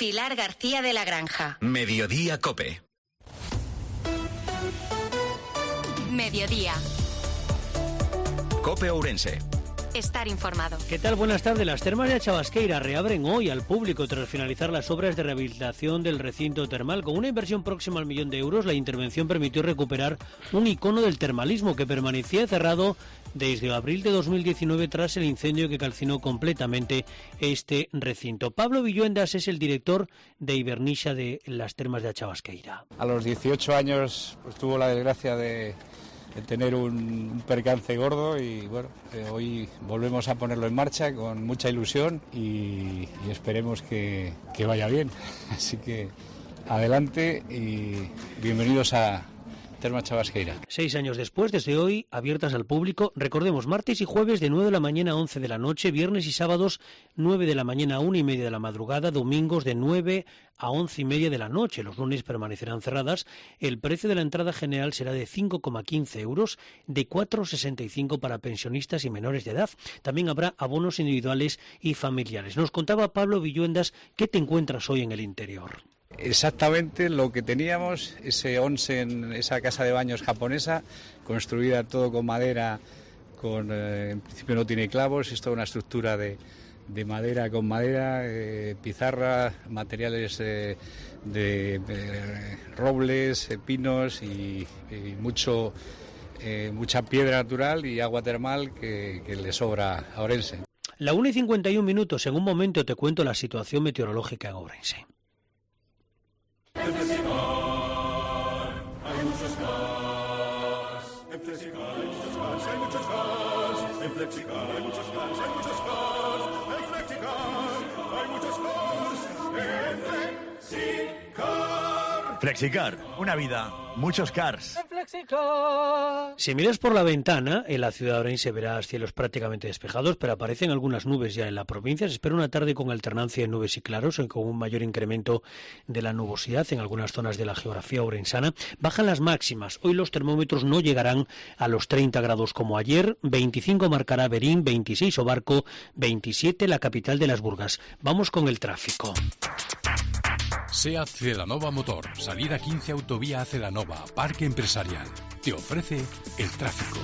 Pilar García de la Granja. Mediodía COPE. Mediodía. COPE Ourense. Estar informado. ¿Qué tal? Buenas tardes. Las termas de Chavasqueira reabren hoy al público tras finalizar las obras de rehabilitación del recinto termal. Con una inversión próxima al €1.000.000, la intervención permitió recuperar un icono del termalismo que permanecía cerrado desde abril de 2019 tras el incendio que calcinó completamente este recinto. Pablo Villuendas es el director de Ibernisha de las termas de Chavasqueira. A los 18 años pues, tuvo la desgracia de tener un percance gordo y bueno, hoy volvemos a ponerlo en marcha con mucha ilusión y esperemos que vaya bien. Así que adelante y bienvenidos a Termas Chavasqueira. 6 años después, desde hoy, abiertas al público. Recordemos, martes y jueves de 9 de la mañana a 11 de la noche, viernes y sábados 9 de la mañana a 1:30 de la madrugada, domingos de 9 a 11:30 de la noche. Los lunes permanecerán cerradas. El precio de la entrada general será de 5,15 €, de 4,65 para pensionistas y menores de edad. También habrá abonos individuales y familiares. Nos contaba Pablo Villuendas qué te encuentras hoy en el interior. Exactamente lo que teníamos, ese onsen, esa casa de baños japonesa, construida todo con madera, en principio no tiene clavos, es toda una estructura de madera con madera, pizarra, materiales de robles, pinos y mucha piedra natural y agua termal que le sobra a Ourense. La 1:51. En un momento te cuento la situación meteorológica en Ourense. En Flexicar hay muchos cars. En Flexicar hay muchos cars, hay muchos cars. En Flexicar hay muchos cars, hay muchos cars. En Flexicar hay muchos cars. En Flexicar. Flexicar, una vida, muchos cars. Si miras por la ventana, en la ciudad de Ourense verás cielos prácticamente despejados, pero aparecen algunas nubes ya en la provincia. Se espera una tarde con alternancia de nubes y claros, con un mayor incremento de la nubosidad en algunas zonas de la geografía ourensana. Bajan las máximas. Hoy los termómetros no llegarán a los 30 grados como ayer. 25 marcará Berín, 26 Obarco, 27 la capital de las Burgas. Vamos con el tráfico. SEAT Celanova Motor, salida 15 Autovía a Celanova, Parque Empresarial. Te ofrece el tráfico.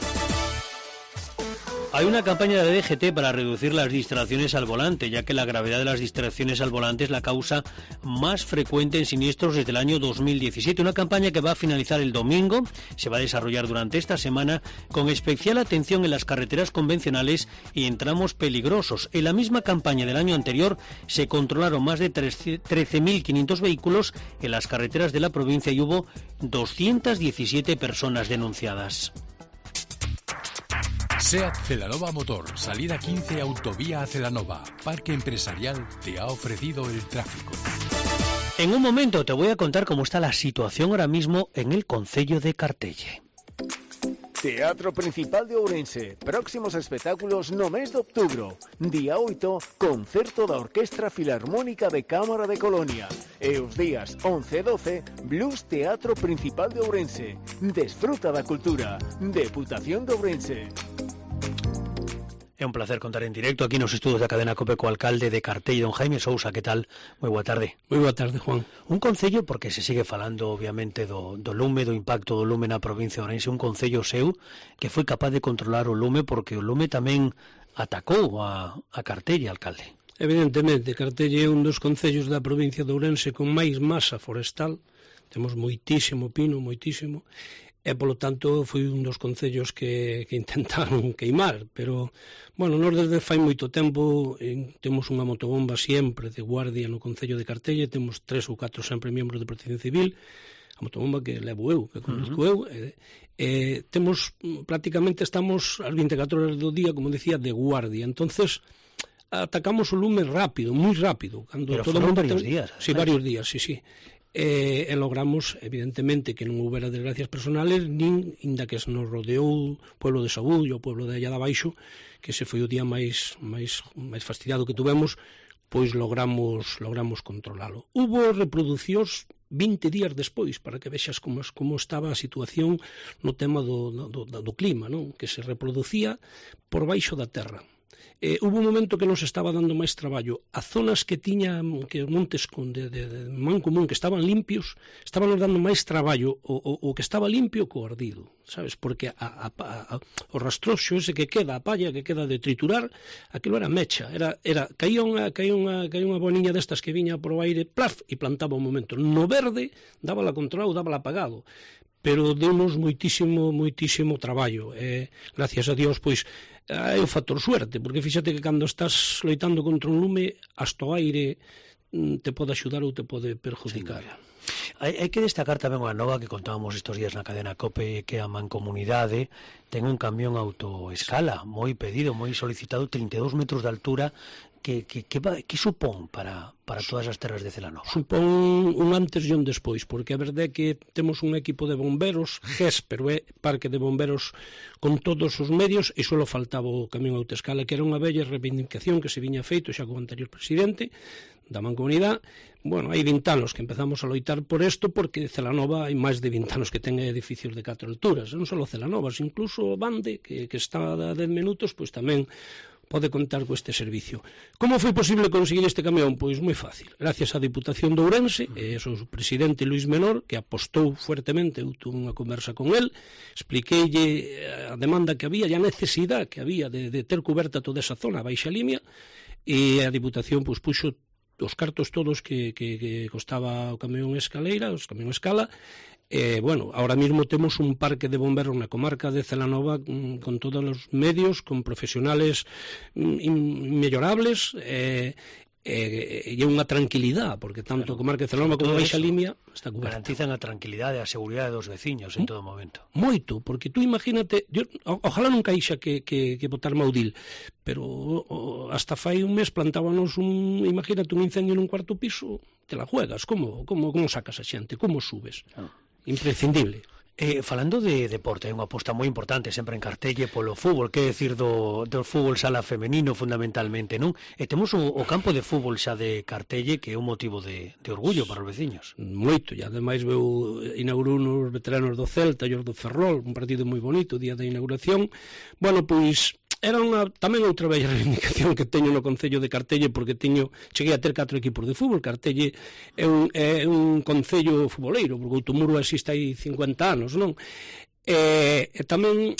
Hay una campaña de la DGT para reducir las distracciones al volante, ya que la gravedad de las distracciones al volante es la causa más frecuente en siniestros desde el año 2017. Una campaña que va a finalizar el domingo, se va a desarrollar durante esta semana, con especial atención en las carreteras convencionales y en tramos peligrosos. En la misma campaña del año anterior se controlaron más de 13.500 vehículos en las carreteras de la provincia y hubo 217 personas denunciadas. SEAT Celanova Motor, salida 15 Autovía a Celanova, Parque Empresarial, te ha ofrecido el tráfico. En un momento te voy a contar cómo está la situación ahora mismo en el concello de Cartelle. Teatro Principal de Ourense. Próximos espectáculos no mes de outubro. Día 8, concerto da Orquestra Filarmónica de Cámara de Colonia. E os días 11 e 12, Blues Teatro Principal de Ourense. Desfruta da cultura. Deputación de Ourense. É un placer contar en directo aquí nos estudos da cadena COPE co alcalde de Cartelle, don Jaime Sousa. Que tal? Moi boa tarde. Moi boa tarde, Juan. Un concello, porque se sigue falando obviamente do lume, do impacto do lume na provincia de Ourense, un concello seu que foi capaz de controlar o lume, porque o lume tamén atacou a Cartelle, alcalde. Evidentemente, Cartelle é un dos concellos da provincia de Ourense con máis masa forestal. Temos moitísimo pino, moitísimo. E, polo tanto, foi un dos concellos que intentaron queimar, pero, bueno, nós desde fai moito tempo temos unha motobomba sempre de guardia no concello de Cartelle, temos 3 ou 4 sempre membros de Protección Civil, a motobomba que levo eu, que conduzco eu, temos, prácticamente estamos as 24 horas do día, como decía, de guardia, entonces atacamos o lume rápido, moi rápido. Pero foron varios días. Sí, varios días, sí. E logramos, evidentemente, que non houbera desgracias personales, nin inda que se nos rodeou o pueblo de Sabullo, o pueblo de allá de abaixo, que se foi o día máis fastidiado que tuvemos, pois logramos controlalo. Hubo reproducións 20 días despois, para que vexas como estaba a situación no tema do clima, non? Que se reproducía por baixo da terra. hubo un momento que nos estaba dando máis traballo. As zonas que tiña, que os montes de man común, que estaban limpios, estaban nos dando máis traballo o que estaba limpio co ardido, sabes? Porque o rastroxo ese que queda, a palla que queda de triturar, aquilo era mecha, caía unha boniña destas que viña por o aire, plaf, e plantaba un momento. No verde, dábala controlado, dábala apagado, pero deu-nos moitísimo traballo. Gracias a Dios, pois, é o factor suerte, porque fíxate que cando estás loitando contra un lume, hasta o aire te pode axudar ou te pode perjudicar. Hai que destacar tamén unha nova que contábamos estes días na cadena COPE, que a Mancomunidade ten un camión autoescala moi pedido, moi solicitado, 32 metros de altura. Que supón para todas as terras de Celanova? Supón un antes e un despois, porque a verdade é que temos un equipo de bomberos, GES, pero é parque de bomberos con todos os medios, e só faltaba o camión autoescala, que era unha bella reivindicación que se viña feito xa co anterior presidente da Mancomunidade. Bueno, hai 20 anos que empezamos a loitar por isto, porque Celanova hai máis de 20 anos que ten edificios de 4 alturas, non só Celanova, incluso Bande, que está a 10 minutos, pois tamén pode contar con este servicio. Como foi posible conseguir este camión? Pois moi fácil. Gracias á Diputación de Ourense e ao seu presidente Luis Menor, que apostou fuertemente. Eu tuve unha conversa con el, expliqueille a demanda que había e a necesidade que había de ter coberta toda esa zona, a baixa limia, e a Diputación pois puxo os cartos todos que costaba o camión escaleira, os camión escala. Bueno, ahora mismo temos un parque de bomberos na comarca de Celanova con todos os medios, con profesionales inmellorables, e unha tranquilidade, porque tanto a comarca de Celanova como a Baixa Limia está coberta. Garantizan a tranquilidade e a seguridade dos veciños en todo momento. Moito, porque tú imagínate, ojalá nunca ixa que botar maudil, pero hasta fai un mes plantábanos imagínate un incendio nun cuarto piso, te la juegas, como sacas a xente, como subes? Imprescindible. Falando de deporte, hai unha aposta moi importante sempre en Cartelle polo fútbol, que decir do fútbol sala femenino fundamentalmente, non? E temos o campo de fútbol xa de Cartelle, que é un motivo de orgullo para os veciños. Moito, e ademais inaugurou nos veteranos do Celta e os do Ferrol, un partido moi bonito, o día da inauguración. Bueno, pois era tamén outra bella reivindicación que teño no Concello de Cartelle, porque cheguei a ter 4 equipos de fútbol. Cartelle é un concello futboleiro, porque Outomuro existe hai 50 anos, non? E tamén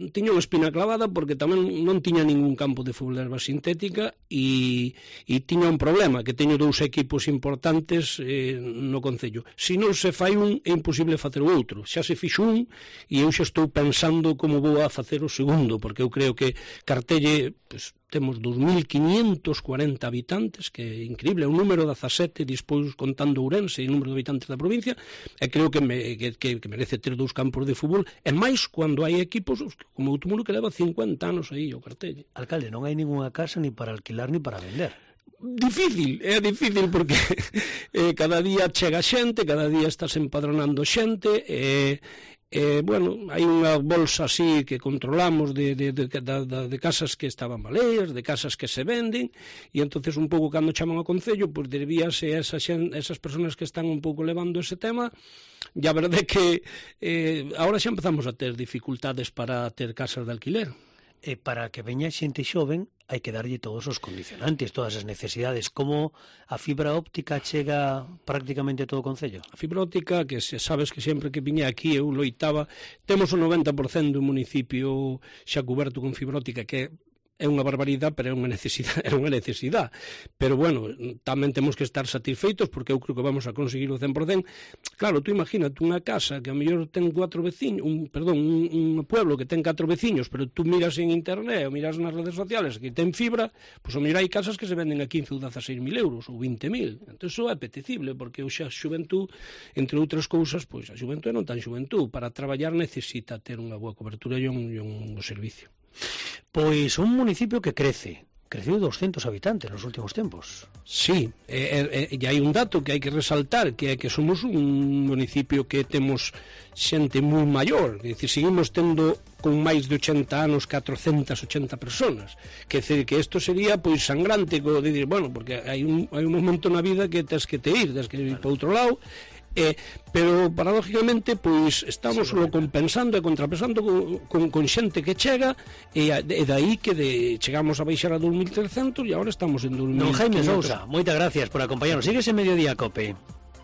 tiña unha espina clavada, porque tamén non tiña ningún campo de fútbol de erva sintética, e tiña un problema, que teño 2 equipos importantes no Concello. Se non se fai un, é imposible facer o outro. Xa se fixo un, e eu xa estou pensando como vou a facer o segundo, porque eu creo que Cartelle, pues, temos 2.540 habitantes, que é increíble, é un número 17, despois contando Ourense e o número de habitantes da provincia, e creo que merece ter 2 campos de fútbol, e máis cando hai equipos como Outomuro, que leva 50 anos aí o Cartelle. Alcalde, non hai ninguna casa ni para alquilar ni para vender. É difícil porque cada día chega xente, cada día estás empadronando xente, bueno, hai unha bolsa así que controlamos de casas que estaban baleiras, de casas que se venden, e entonces un pouco cando chaman ao Concello, pois debíase a esas personas que están un pouco levando ese tema. E a verdade é que agora xa empezamos a ter dificultades para ter casas de alquiler. E para que veña xente xoven hai que darlle todos os condicionantes, todas as necesidades. Como a fibra óptica chega prácticamente a todo o Concello? A fibra óptica, que sabes que sempre que viña aquí eu loitaba, temos o 90% do municipio xa coberto con fibra óptica, que é unha barbaridade, pero é unha necesidade. Pero, bueno, tamén temos que estar satisfeitos, porque eu creo que vamos a conseguir o 100%. Claro, tú imagínate unha casa que a mellor ten 4 veciños, un pueblo que ten 4 veciños, pero tú miras en internet ou miras nas redes sociales que ten fibra, pois a mellor hai casas que se venden a 15 ou 16.000 euros ou 20.000. Entón, iso é apetecible, porque eu xa xuventud, entre outras cousas, pois a xuventud non tan xuventud, para traballar necesita ter unha boa cobertura e un servicio. Pois un municipio que creceu 200 habitantes nos últimos tempos. Sí, e hai un dato que hai que resaltar, que é que somos un municipio que temos xente moi maior, é dicir, seguimos tendo con máis de 80 anos 480 personas, que decir que isto sería pois sangrante, de dir, bueno, porque hai un momento na vida que tens que ir para outro lado, Pero paradójicamente pois estamos lo compensando e contrapensando con xente que chega e dai que chegamos a baixar a 2.300 e agora estamos en 2.500. Don Jaime Sousa, moitas gracias por acompañarnos. Sigues en Mediodía Cope.